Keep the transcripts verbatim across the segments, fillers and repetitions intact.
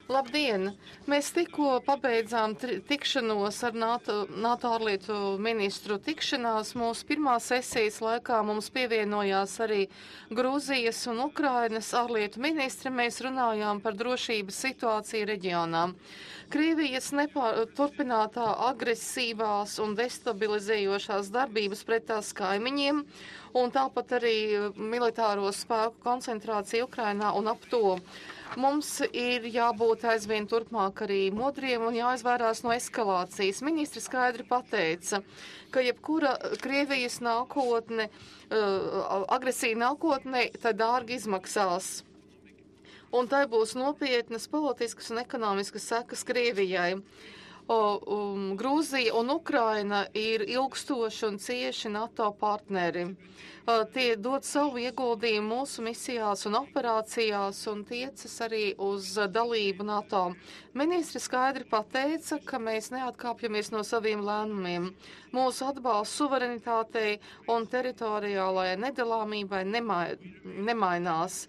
Labdien! Mēs tikko pabeidzām tikšanos ar NATO, NATO ārlietu ministru tikšanās. Mūsu pirmā sesijas laikā mums pievienojās arī Grūzijas un Ukrainas ārlietu ministri. Mēs runājām par drošības situāciju reģionā. Krievijas nepār, turpinātā agresīvās un destabilizējošās darbības pret tās kaimiņiem un tāpat arī militāro spēku koncentrācija Ukrainā un ap to. Mums ir jābūt aizvien turpmāk arī modriem un jāizvairās no eskalācijas. Ministri skaidri pateica, ka jebkura Krievijas nākotne, agresija nākotne, tad dārgi izmaksās. Un tai būs nopietnas politiskas un ekonomiskas sekas Krievijai. O, um, Grūzija un Ukraina ir ilgstoši un cieši NATO partneri. Uh, tie dod savu ieguldījumu mūsu misijās un operācijās un tiecas arī uz dalību NATO. Ministri skaidri pateica, ka mēs neatkāpjamies no saviem lēmumiem. Mūsu atbalsts suverenitātei un teritoriālajai nedalāmībai nemai, nemainās.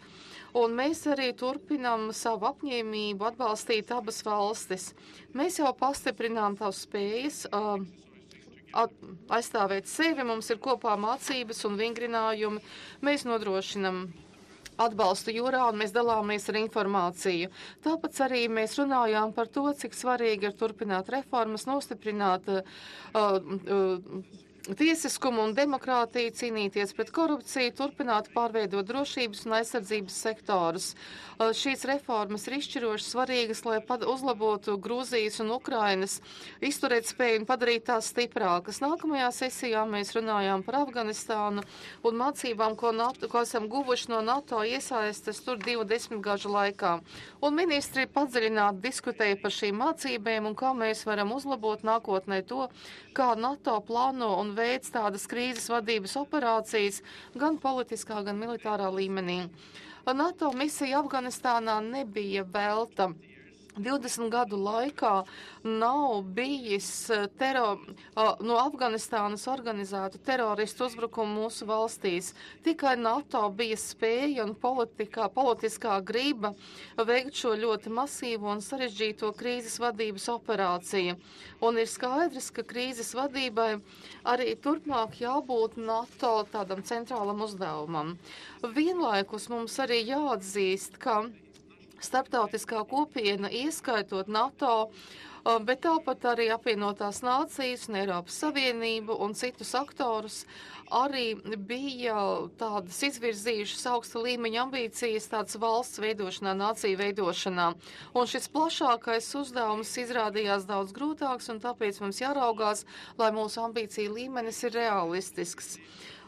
Un mēs arī turpinām savu apņēmību atbalstīt abas valstis. Mēs jau pastiprinām tavas spējas uh, at, aizstāvēt sevi, mums ir kopā mācības un vingrinājumi. Mēs nodrošinam atbalstu jūrā un mēs dalāmies ar informāciju. Tāpēc arī mēs runājām par to, cik svarīgi ir turpināt reformas, nostiprināt uh, uh, tiesiskumu un demokrātiju, cīnīties pret korupciju, turpināt pārveidot drošības un aizsardzības sektorus. Šīs reformas ir izšķiroši svarīgas, lai uzlabotu Grūzijas un Ukrainas izturēt spēju un padarīt tās stiprākas. Nākamajā sesijā mēs runājām par Afganistānu un mācībām, ko, NATO, ko esam guvuši no NATO iesaistes tur divu desmitgažu laikā. Un ministri padziļināti diskutēja par šīm mācībēm un kā mēs varam uzlabot nākotnē to, kā NATO plāno un veids tādas krīzes vadības operācijas gan politiskā, gan militārā līmenī. NATO misija Afganistānā nebija velta. divdesmit gadu laikā nav bijis tero, no Afganistānas organizētu teroristu uzbrukumu mūsu valstīs. Tikai NATO bija spēja un politikā, politiskā grība veikt šo ļoti masīvo un sarežģīto krīzes vadības operāciju. Un ir skaidrs, ka krīzes vadībai arī turpmāk jābūt NATO tādam centrālam uzdevumam. Vienlaikus mums arī jāatzīst, ka starptautiskā kopiena, ieskaitot NATO, bet tāpat arī apvienotās nācijas un Eiropas Savienību un citus aktorus, arī bija tādas izvirzījušas augsta līmeņa ambīcijas tādas valsts veidošanā, nāciju veidošanā. Un šis plašākais uzdevums izrādījās daudz grūtāks, un tāpēc mums jāraugās, lai mūsu ambīcija līmenis ir realistisks.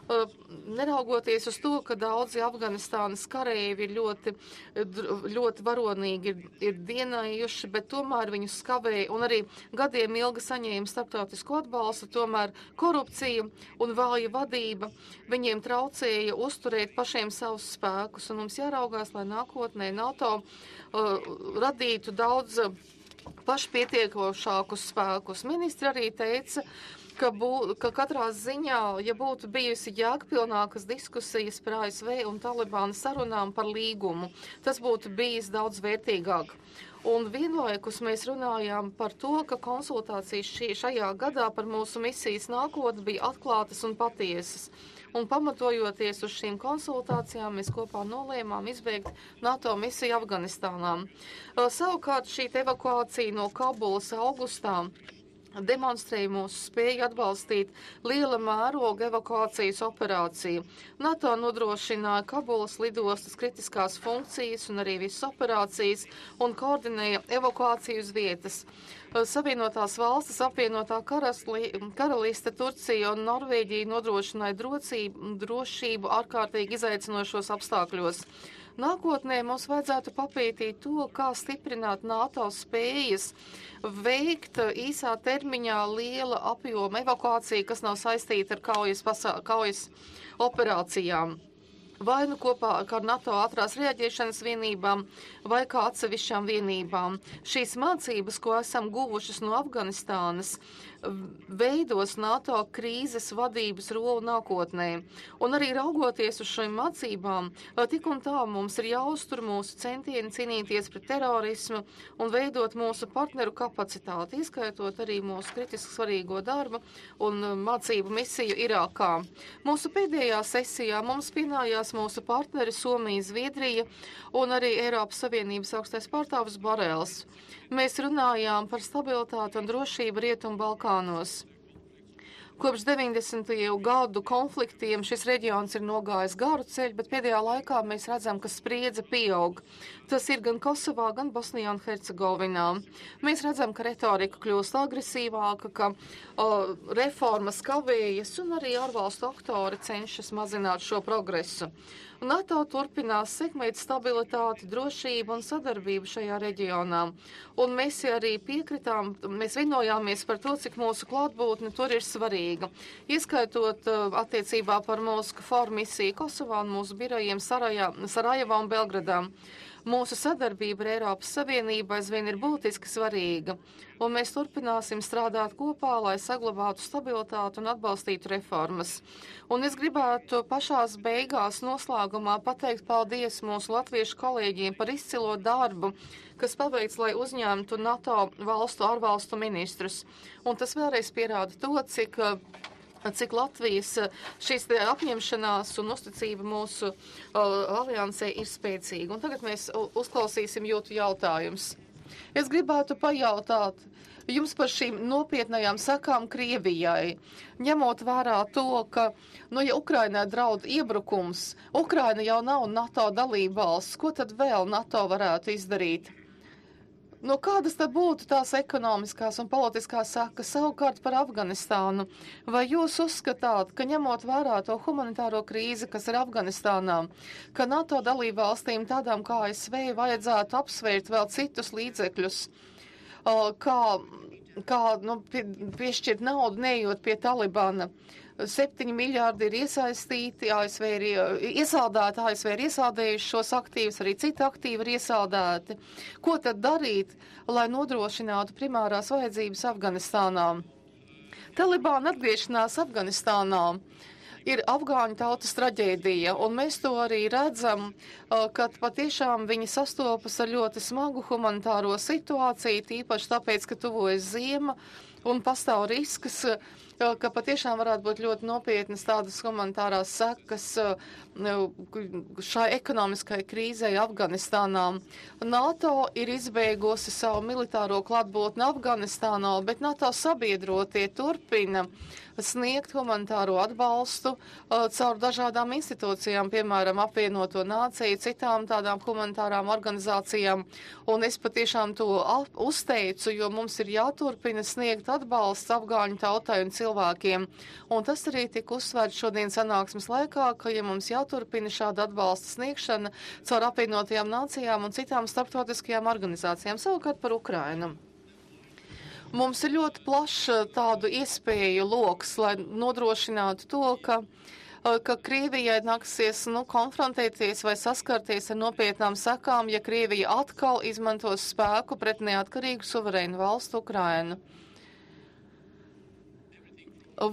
Neraugoties uz to, ka daudzi Afganistānas karēji ir ļoti, ļoti varonīgi ir, ir dienējuši, bet tomēr viņus skavēja un arī gadiem ilgi saņēma starptautisko atbalstu, tomēr korupcija un vāja vadība viņiem traucēja uzturēt pašiem savus spēkus, un mums jāraugās, lai nākotnē NATO uh, radītu daudz pašpietiekošākus spēkus. Ministri arī teica, Ka, bū, ka katrā ziņā, ja būtu bijusi jēgpilnākas diskusijas par A S V un Talibāna sarunām par līgumu, tas būtu bijis daudz vērtīgāk. Un vienlaikus mēs runājām par to, ka konsultācijas šī, šajā gadā par mūsu misijas nākotni bija atklātas un patiesas. Un pamatojoties uz šīm konsultācijām, mēs kopā nolēmām izbeigt NATO misiju Afganistānā. Savukārt šī evakuācija no Kabulas augustā demonstrēja mūsu spēju atbalstīt liela mēroga evakuācijas operāciju. NATO nodrošināja Kabulas lidostas kritiskās funkcijas un arī visas operācijas un koordinēja evakuāciju uz vietas. Savienotās valstis, apvienotā karasli, karaliste, Turcija un Norvēģija nodrošināja drocību, drošību ārkārtīgi izaicinošos apstākļos. Nākotnē mums vajadzētu papētīt to, kā stiprināt NATO spējas veikt īsā termiņā liela apjoma evakuāciju, kas nav saistīta ar kaujas, pasā, kaujas operācijām. Vai nu kopā ar NATO ātrās reaģēšanas vienībām, vai kā atsevišķām vienībām. Šīs mācības, ko esam guvušas no Afganistānas, veidos NATO krīzes vadības rolu nākotnē. Un arī raugoties uz šīm mācībām, tik un tā mums ir jāuztur mūsu centieni cīnīties pret terorismu un veidot mūsu partneru kapacitāti, ieskaitot arī mūsu kritiski svarīgo darbu un mācību misiju Irākā. Mūsu pēdējā sesijā mums pienājās mūsu partneri Somija, Zviedrija un arī Eiropas Savienības augstais pārstāvis Borels. Mēs runājām par stabilitāti un drošību Rietumu Balkānos. Kopš deviņdesmito gadu konfliktiem šis reģions ir nogājis garu ceļu, bet pēdējā laikā mēs redzam, ka spriedze pieaug. Tas ir gan Kosovā, gan Bosnijā un Hercegovinā. Mēs redzam, ka retorika kļūst agresīvāka, ka o, reformas kavējas un arī ārvalstu aktori cenšas mazināt šo progresu. NATO turpinās sekmēt stabilitāti, drošību un sadarbību šajā reģionā. Un mēs arī piekritām, mēs vienojāmies par to, cik mūsu klātbūtne tur ir svarīga. Ieskaitot uh, attiecībā par mūsu KFOR misiju Kosovā un mūsu birojiem Sarajā, Sarajevā un Belgradā. Mūsu sadarbība ar Eiropas Savienību aizvien ir būtiski svarīga, un mēs turpināsim strādāt kopā, lai saglabātu stabilitātu un atbalstītu reformas. Un es gribētu pašās beigās noslēgumā pateikt paldies mūsu latviešu kolēģiem par izcilo darbu, kas paveikts, lai uzņemtu NATO valstu ārvalstu ministrus. Un tas vēlreiz pierāda to, cik cik Latvijas šīs apņemšanās un uzticība mūsu uh, aliansē ir spēcīga. Un tagad mēs uzklausīsim jūtu jautājumus. Es gribētu pajautāt jums par šīm nopietnajām sakām Krievijai, ņemot vērā to, ka, nu, ja Ukrainai draud iebrukums, Ukraina jau nav NATO dalībvalsts, ko tad vēl NATO varētu izdarīt? Nu, kādas tad būtu tās ekonomiskās un politiskās sekas savukārt par Afganistānu? Vai jūs uzskatāt, ka ņemot vērā to humanitāro krīzi, kas ir Afganistānā, ka NATO dalību valstīm tādām kā A S V vajadzētu apsvērt vēl citus līdzekļus, kā, kā nu, pie, piešķirt naudu, neejot pie Talibana? Septiņi miljārdi ir iesaistīti, A S V ir iesaldēti, A S V ir iesaldējuši šos aktīvus, arī citi aktīvi ir iesaldēti. Ko tad darīt, lai nodrošinātu primārās vajadzības Afganistānā? Talibāna atgriešanās Afganistānā ir afgāņu tautas traģēdija, un mēs to arī redzam, kad patiešām viņi sastopas ar ļoti smagu humanitāro situāciju, tīpaši tāpēc, ka tuvojas ziema un pastāv risks, ka patiešām varētu būt ļoti nopietnas tādas humanitārās sekas šai ekonomiskai krīzei Afganistānā. NATO ir izbeigusi savu militāro klātbūtni Afganistānā, bet NATO sabiedrotie turpina sniegt humanitāro atbalstu uh, caur dažādām institūcijām, piemēram, apvienoto nāciju, citām tādām humanitārām organizācijām. Un es patiešām to uzteicu, jo mums ir jāturpina sniegt atbalsts afgāņu tautai un cilvēkiem. Un tas arī tika uzsvērts šodien sanāksmes laikā, ka, ja mums jāturpina šāda atbalsta sniegšana caur apvienotajām nācijām un citām starptautiskajām organizācijām, savukārt par Ukrainu. Mums ir ļoti plašs tādu iespēju loks, lai nodrošinātu to, ka, ka Krievijai nāksies nu, konfrontēties vai saskarties ar nopietnām sekām, ja Krievija atkal izmantos spēku pret neatkarīgu suverēnu valstu Ukrainu.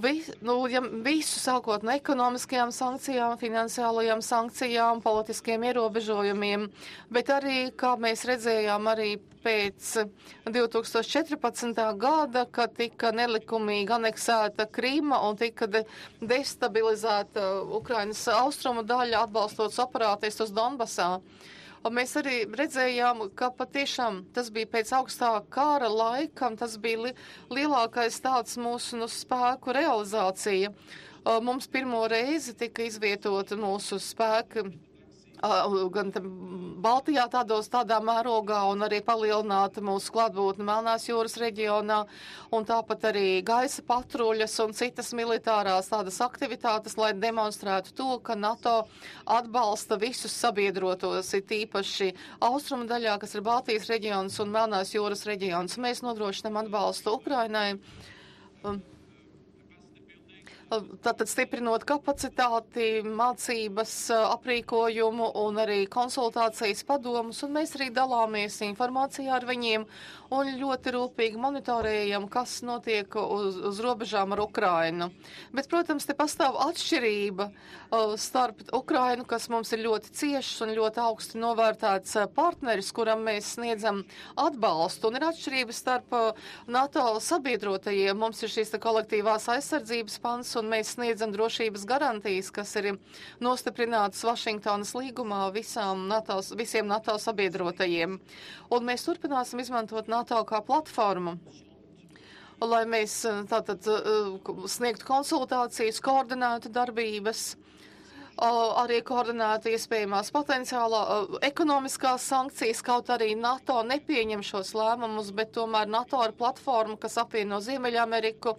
Vis, nu, ja visu sākot no ekonomiskajām sankcijām, finansiālajām sankcijām, politiskiem ierobežojumiem, bet arī, kā mēs redzējām, arī pēc divi tūkstoši četrpadsmitā gada, kad tika nelikumīgi aneksēta Krīma un tika de destabilizēta Ukrainas austrumu daļa, atbalstot separātistus Donbasā. Un mēs arī redzējām, ka patiešām tas bija pēc augstā kara laikam, tas bija li lielākais tāds mūsu nu, spēku realizācija. Mums pirmo reizi tika izvietota mūsu spēki gan Baltijā tādos tādā mērogā un arī palielināta mūsu klātbūtne Melnās jūras reģionā un tāpat arī gaisa patruļas un citas militārās tādas aktivitātes, lai demonstrētu to, ka NATO atbalsta visus sabiedrotos, ir tīpaši austrumu daļā, kas ir Baltijas reģions un Melnās jūras reģions. Mēs nodrošinām atbalstu Ukrainai. tātad stiprinot kapacitāti, mācības, aprīkojumu un arī konsultācijas padomus, un mēs arī dalāmies informācijā ar viņiem un ļoti rūpīgi monitorējam, kas notiek uz, uz robežām ar Ukrainu. Bet, protams, te pastāv atšķirība starp Ukrainu, kas mums ir ļoti ciešs un ļoti augsti novērtēts partneris, kuram mēs sniedzam atbalstu, un ir atšķirība starp NATO sabiedrotajiem. Mums ir šīs kolektīvās aizsardzības pants, un mēs sniedzam drošības garantijas, kas ir nostiprinātas Vašingtonas līgumā visām NATO, visiem NATO sabiedrotajiem. Un mēs turpināsim izmantot NATO kā platformu, lai mēs tātad sniegtu konsultācijas, koordinētu darbības, arī koordinētu iespējamās potenciālā ekonomiskās sankcijas, kaut arī NATO nepieņem šos lēmumus, bet tomēr NATO ir platforma, kas apvieno Ziemeļameriku,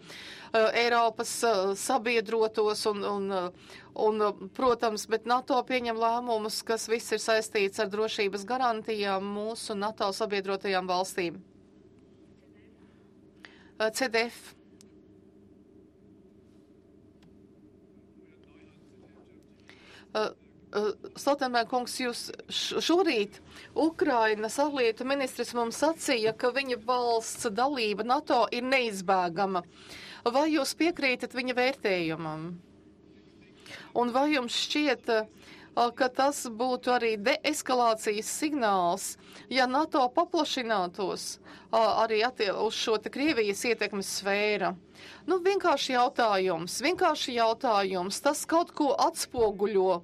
Eiropas sabiedrotos un, un, un, protams, bet NATO pieņem lēmumus, kas viss ir saistīts ar drošības garantijām mūsu NATO sabiedrotajām valstīm. C D F. Uh, uh, Stoltenberg kungs, jūs šorīt Ukrainas ārlietu ministrs mums sacīja, ka viņa valsts dalība NATO ir neizbēgama. Vai jūs piekrītat viņa vērtējumam? Un vai jums šķiet, uh, ka tas būtu arī deeskalācijas signāls, ja NATO paplašinātos uh, arī uz šo te Krievijas ietekmes sfēru? Nu, vienkārši jautājums, vienkārši jautājums, tas kaut ko atspoguļo.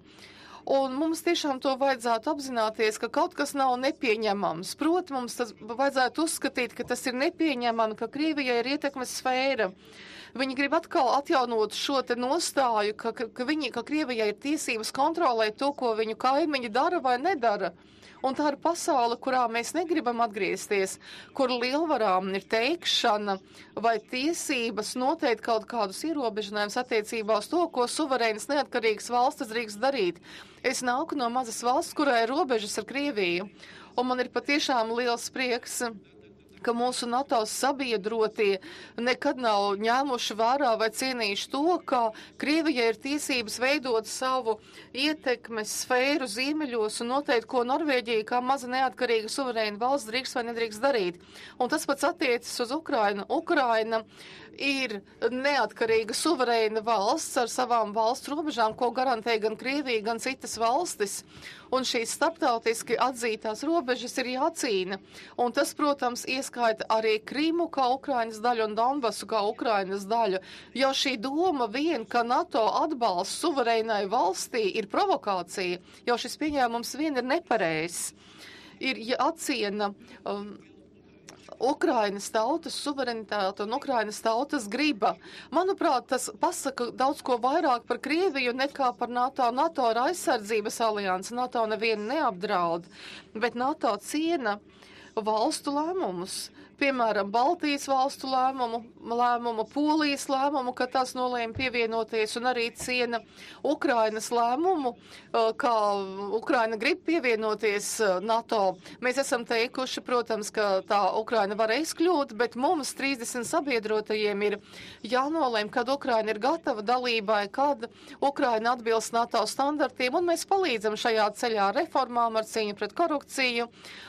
Un mums tiešām to vajadzētu apzināties, ka kaut kas nav nepieņemams. Proti, mums tas vajadzētu uzskatīt, ka tas ir nepieņemami, ka Krievijai ir ietekmes sfēra. Viņi grib atkal atjaunot šo te nostāju, ka, ka, ka, viņi, ka Krievijai ir tiesības kontrolēt to, ko viņu kaimiņi dara vai nedara. Un tā ir pasaule, kurā mēs negribam atgriezties, kur lielvarām ir teikšana vai tiesības noteikt kaut kādus ierobežinājumus attiecībā uz to, ko suverēnas neatkarīgas valstis drīkst darīt. Es nāku no mazas valsts, kurai ir robežas ar Krieviju, un man ir patiešām liels prieks, ka mūsu NATO sabiedrotie nekad nav ņēmuši vērā vai cienījuši to, ka Krievijai ir tiesības veidot savu ietekmes sfēru ziemeļos un noteikt, ko Norvēģija kā maza neatkarīga suverēna valsts drīkst vai nedrīkst darīt. Un tas pats attiecas uz Ukrainu. Ukraina ir neatkarīga suverēna valsts ar savām valsts robežām, ko garantē gan Krievija, gan citas valstis. Un šīs starptautiski atzītās robežas ir jācīna. Un tas, protams, ieskaita arī Krimu kā Ukrainas daļu un Donbasu kā Ukrainas daļu. Jo šī doma vien, ka NATO atbalsts suverēnai valstī ir provokācija, jo šis pieņēmums vien ir nepareizs. Ir jāciena um, Ukrainas tautas suverenitāte un Ukrainas tautas griba. Manuprāt, tas pasaka daudz ko vairāk par Krieviju nekā par NATO. NATO ir aizsardzības alianse, NATO nevienu neapdraud, bet NATO ciena valstu lēmumus. Piemēram, Baltijas valstu lēmumu, lēmumu, Polijas lēmumu, ka tās nolēma pievienoties, un arī ciena Ukrainas lēmumu, kā Ukraina grib pievienoties NATO. Mēs esam teikuši, protams, ka tā Ukraina varēs kļūt, bet mums trīsdesmit sabiedrotajiem ir jānolēma, kad Ukraina ir gatava dalībai, kad Ukraina atbilst NATO standartiem, un mēs palīdzam šajā ceļā reformām ar cīņu pret korupciju,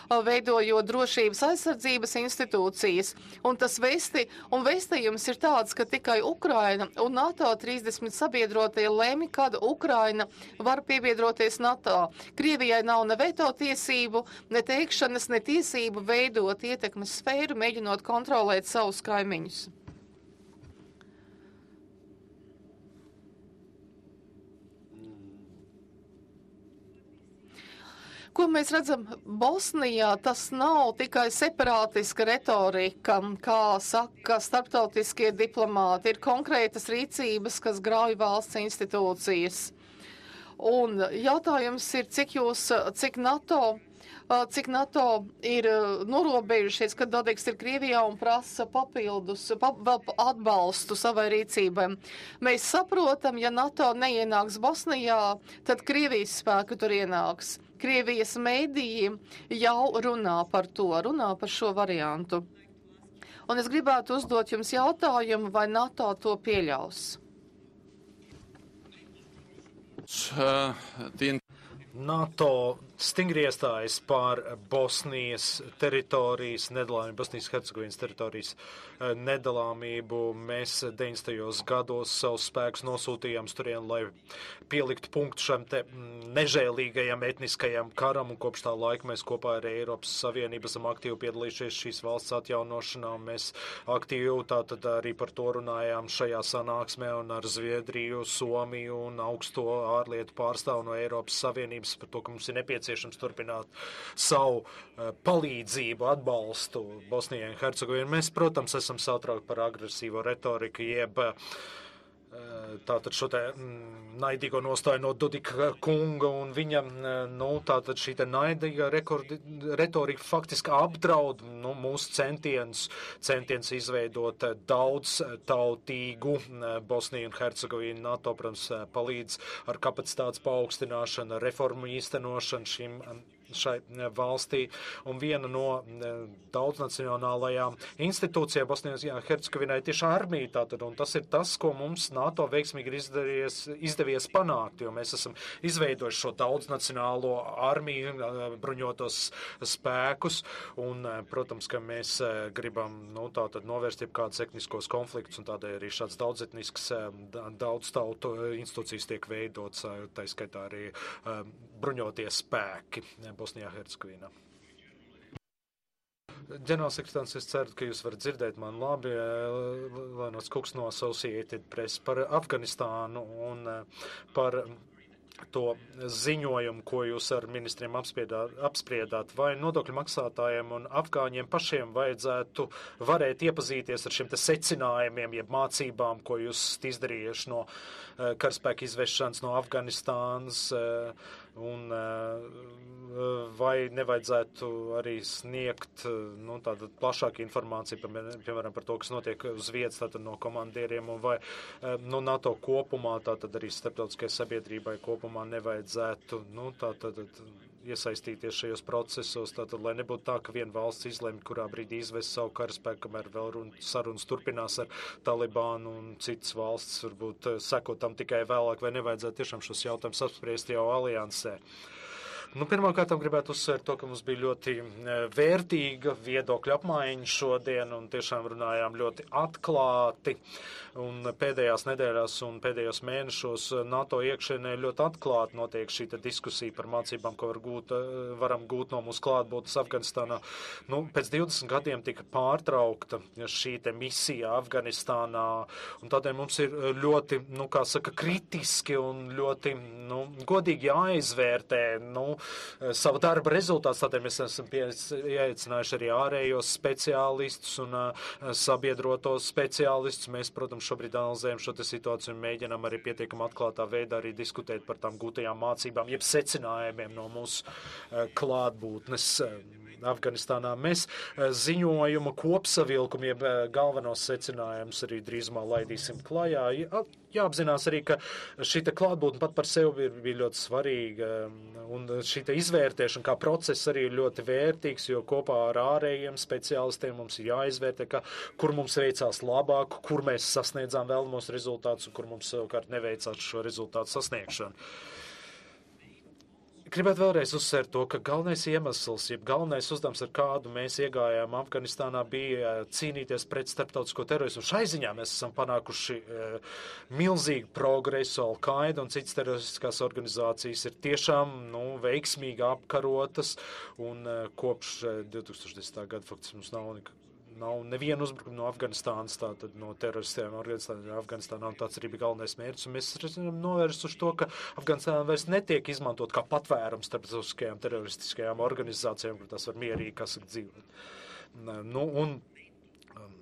veidojot drošības aizsardzības institūcijas. Un tas vesti, un vēstījums ir tāds, ka tikai Ukraina un NATO trīsdesmit sabiedrotie lēmi, kad Ukraina var piebiedroties NATO. Krievijai nav ne veto tiesību, ne teikšanas, ne tiesību veidot ietekmes sfēru, mēģinot kontrolēt savus kaimiņus. Ko mēs redzam Bosnijā, tas nav tikai separātiska retorika, kā saka starptautiskie diplomāti, ir konkrētas rīcības, kas grauj valsts institūcijas. Un jautājums ir, cik jūs, cik NATO, cik NATO ir norobežušies, kad Dodiks ir Krievijā un prasa papildus, pa, vēl atbalstu savai rīcībai. Mēs saprotam, ja NATO neienāks Bosnijā, tad Krievijas spēku tur ienāks. Krievijas mēdīji jau runā par to, runā par šo variantu. Un es gribētu uzdot jums jautājumu, vai NATO to pieļaus. Uh, the... NATO stingri iestājas par Bosnijas teritorijas nedalāmību, Bosnijas Hercegovinas teritorijas nedalāmību. Mēs deviņdesmitajos gados savus spēkus nosūtījām turien, lai pieliktu punktu šam te nežēlīgajam etniskajam karam, un kopš tā laika mēs kopā ar Eiropas Savienību esam aktīvi piedalījušies šīs valsts atjaunošanā. Mēs aktīvi tātad arī par to runājām šajā sanāksmē un ar Zviedriju, Somiju un augsto ārlietu pārstāvu no Eiropas Savienības par to, ka mums ir nepieciešams turpināt savu uh, palīdzību, atbalstu Bosnijai un Hercegovinai. Mēs, protams, esam satraukti par agresīvo retoriku, jeb uh, tātad šo te mm, naidīgo nostāju no Dodika kunga un viņa, nu, tātad šī te naidīga rekordi, retorika faktiski apdraud, nu, mūsu centienus, centienus izveidot daudz tautīgu Bosniju un Hercegovinu. NATO, protams, palīdz ar kapacitātes paaugstināšanu, reformu īstenošanu šim šai valstī, un viena no daudznacionālajām institūcijām Bosnijā Hercegovinai tieši armija tātad, un tas ir tas, ko mums NATO veiksmīgi ir izdevies, izdevies panākt, jo mēs esam izveidojuši šo daudznacionālo armiju, bruņotos spēkus, un, protams, ka mēs gribam, nu, tātad novērst jebkādus etniskos konfliktus, un tādēļ arī šāds daudzetnisks, daudz tautu institūcijas tiek veidots, tā skaitā arī bruņoties spēki Bosnijā Hercegovinā. Ģenerālsekretārs, es ceru, ka jūs varat dzirdēt man labi, Lēnots Kuks no Associated Press par Afganistānu un par to ziņojumu, ko jūs ar ministriem apspriedāt, apspriedāt, vai nodokļu maksātājiem un afgāņiem pašiem vajadzētu varēt iepazīties ar šiem te secinājumiem, jeb mācībām, ko jūs izdarījuši no uh, karaspēka izvešanas no Afganistānas, uh, un uh, vai nevajadzētu arī sniegt nu, tādu plašāku informāciju, piemēram, par to, kas notiek uz vietas tātad no komandieriem, un vai uh, nu, NATO kopumā, tātad arī starptautiskai sabiedrībai kopumā nevajadzētu nu, tātad iesaistīties šajos procesos, tātad, lai nebūtu tā, ka viena valsts izlemj, kurā brīdī izvest savu karaspēku, kamēr vēl run, sarunas turpinās ar Talibānu un citas valsts, varbūt sekot tam tikai vēlāk, vai nevajadzētu tiešām šos jautājumus apspriest jau aliansē. Nu, pirmkārt, gribētu uzsvērt to, ka mums bija ļoti vērtīga viedokļa apmaiņa šodien un tiešām runājām ļoti atklāti. Un pēdējās nedēļās un pēdējos mēnešos NATO iekšienē ļoti atklāti notiek šī diskusija par mācībām, ko var gūt, varam gūt no mūsu klātbūtnes Afganistānā. Nu, pēc divdesmit gadiem tika pārtraukta šī te misija Afganistānā, un tādēļ mums ir ļoti, nu, kā saka, kritiski un ļoti, nu, godīgi jāizvērtē, nu, savu darba rezultātus, tādēļ mēs esam ieaicinājuši arī ārējos speciālistus un uh, sabiedrotos speciālistus. Mēs, protams, šobrīd analizējam šo situāciju un mēģinām arī pietiekam atklātā veidā arī diskutēt par tām gūtajām mācībām, jeb secinājumiem no mūsu uh, klātbūtnes uh, Afganistānā. Mēs uh, ziņojuma kopsavilkumu, jeb uh, galvenos secinājumus arī drīzumā laidīsim klajā. Jā, jāapzinās arī, ka šī klātbūtne pat par sevi bija, bija ļoti svarīga, un šī izvērtēšana kā process arī ir ļoti vērtīgs, jo kopā ar ārējiem speciālistiem mums ir jāizvērtē, ka, kur mums veicās labāk, kur mēs sasniedzām vēlamos rezultātus un kur mums savukārt neveicās šo rezultātu sasniegšanu. Gribētu vēlreiz uzsvērt to, ka galvenais iemesls, jeb galvenais uzdevums, ar kādu mēs iegājām Afganistānā, bija cīnīties pret starptautisko terorismu. Šai ziņā mēs esam panākuši e, milzīgu progresu. Al-Qaida un citas teroristiskās organizācijas ir tiešām nu, veiksmīgi apkarotas, un e, kopš e, divi tūkstoši desmitā gada faktiski mums nav nekā. Nav nevienu uzbrukumu no Afganistānas, tātad no teroristiem organizācijām Afganistānā, un tāds arī bija galvenais mērķis. Un mēs esam novērsuši to, ka Afganistānā vairs netiek izmantot kā patvērums starptautiskajām teroristiskajām organizācijām, kur tās var mierīgi, kas ir dzīvot. Nu, un um,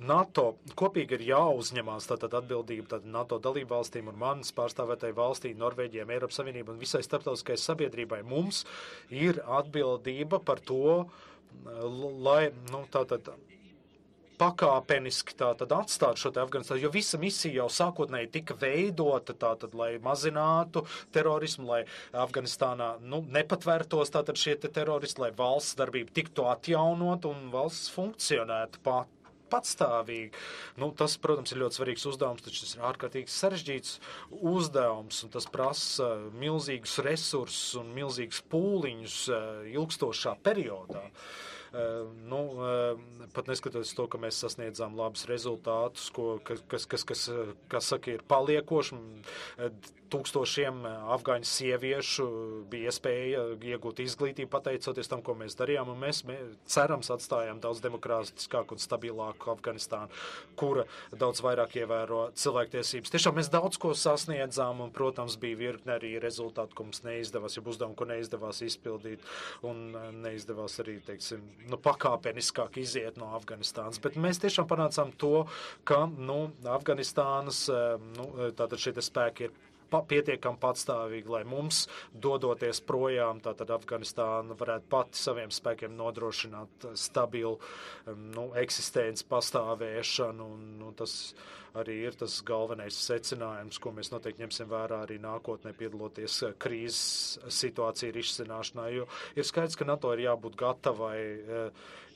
NATO kopīgi ir jāuzņemās tātad atbildība tātad NATO dalību valstīm un manas pārstāvētai valstī, Norvēģijai, Eiropas Savienībai un visai starptautiskai sabiedrībai. Mums ir atbildība par to, lai, nu, tātad pakāpeniski tātad atstāt šo te Afganistānu, jo visa misija jau sākotnēji tika veidota tātad, lai mazinātu terorismu, lai Afganistānā, nu, nepatvērtos tātad šie te teroristi, lai valsts darbība tiktu atjaunot un valsts funkcionētu pat patstāvīgi. Nu, tas, protams, ir ļoti svarīgs uzdevums, taču tas ir ārkārtīgi sarežģīts uzdevums, un tas prasa milzīgus resursus un milzīgus pūliņus ilgstošā periodā. Uh, nu, uh, pat neskatoties to, ka mēs sasniedzām labus rezultātus, ko, kas, kas, kas, kas, kas saka, ir paliekoši. Tūkstošiem afgāņu sieviešu bija iespēja iegūt izglītību pateicoties tam, ko mēs darījām, un mēs, mēs cerams atstājām daudz demokrātiskāku un stabilāku Afganistānu, kura daudz vairāk ievēro cilvēktiesības. Tiešām mēs daudz ko sasniedzām, un, protams, bija virkne arī rezultāti, ko mums neizdevās, ja uzdevumu, ko neizdevās izpildīt, un neizdevās arī, teiksim, nu, pakāpeniskāk iziet no Afganistānas. Bet mēs tiešām panācām to, ka, nu, Afganistānas, nu, tātad šie spēki ir pietiekami patstāvīgi, lai mums, dodoties projām, tātad Afganistāna varētu pati saviem spēkiem nodrošināt stabilu nu, eksistenci, pastāvēšanu, un nu, tas arī ir tas galvenais secinājums, ko mēs noteikti ņemsim vērā arī nākotnē piedaloties krīzes situāciju risināšanā, jo ir skaidrs, ka NATO ir jābūt gatavai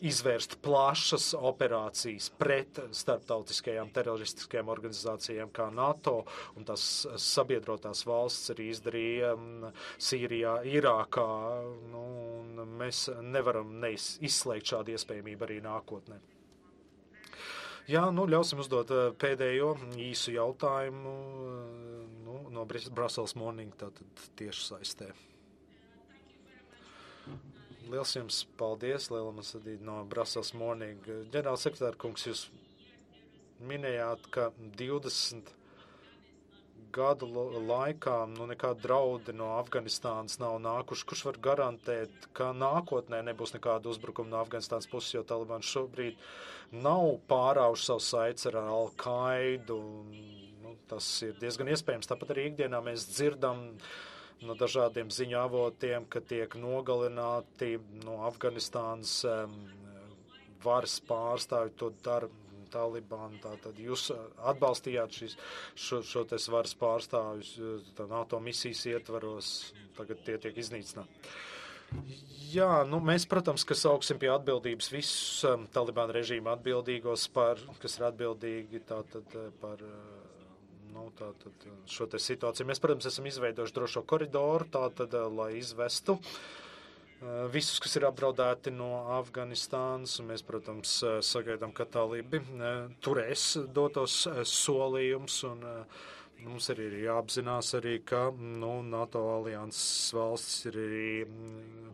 izvērst plašas operācijas pret starptautiskajām teroristiskajām organizācijām kā NATO, un tās sabiedrotās valsts arī izdarīja Sīrijā, Irākā, nu, un mēs nevaram neizslēgt šādu iespējamību arī nākotnē. Jā, nu, ļausim uzdot pēdējo īsu jautājumu nu, no Brussels Morning, tātad tieši saistē. Liels jums paldies, Liela Masadīd no Brussels Morning. Ģenerāls sekretār kungs, jūs minējāt, ka divdesmit gadu laikā nu, nekādi draudi no Afganistānas nav nākuši. Kurš var garantēt, ka nākotnē nebūs nekāda uzbrukuma no Afganistānas puses, jo Talibāns šobrīd nav pārauši savu saites ar Al-Qaidu. Nu, tas ir diezgan iespējams. Tāpat arī ikdienā mēs dzirdam no dažādiem ziņu avotiem, ka tiek nogalināti no Afganistānas um, varas pārstāvi, to dara Talibānu, tātad jūs atbalstījāt šis, šo, šo te varas pārstāvjus NATO misijas ietvaros, tagad tie tiek iznīcināti. Jā, nu mēs, protams, ka sauksim pie atbildības visus um, Talibāna režīma atbildīgos, par, kas ir atbildīgi tātad par nu, tātad šo te situāciju. Mēs, protams, esam izveidojuši drošo koridoru, tātad, lai izvestu visus, kas ir apdraudēti no Afganistānas, un mēs, protams, sagaidām, ka talibi turēs dotos solījums, un mums arī ir jāapzinās arī, ka nu, NATO alianses valstis ir arī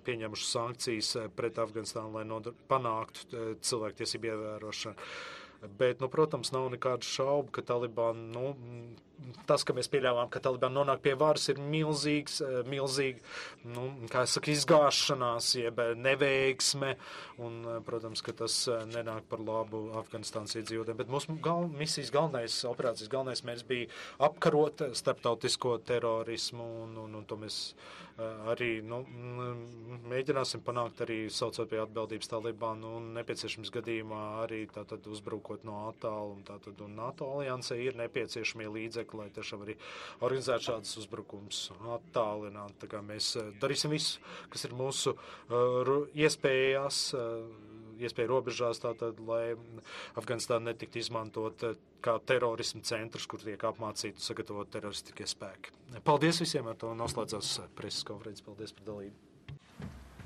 pieņemušas sankcijas pret Afganistānu, lai nodar, panāktu cilvēktiesību ievērošanu. Bet, nu, protams, nav nekādu šaubu, ka Talibāna, nu, tas, ka mēs pieļāvām, ka Talibāna nonāk pie varas, ir milzīgs, milzīgi, nu, kā es saku, izgāšanās, jeb neveiksme, un, protams, ka tas nenāk par labu Afganistānas iedzīvotājiem. Bet mūsu gal, misijas galvenais, operācijas galvenais mērķis bija apkarot starptautisko terorismu, un, un, un to mēs arī, nu, mēģināsim panākt arī saucot pie atbildības Talibānu, un nepieciešams gadījumā arī tātad uzbrukot no attālu, un tātad un NATO aliansē ir nepieciešamie līdzekļi, lai tiešām arī organizētu šādus uzbrukums attālināt. Tā kā mēs darīsim visu, kas ir mūsu uh, iespējās, uh, iespēja robežās, tātad, lai Afganistāna netiktu izmantot uh, kā terorismu centrs, kur tiek apmācīti un sagatavot teroristiskie spēki. Paldies visiem, ar to noslēdzās preses konferences. Paldies par dalību.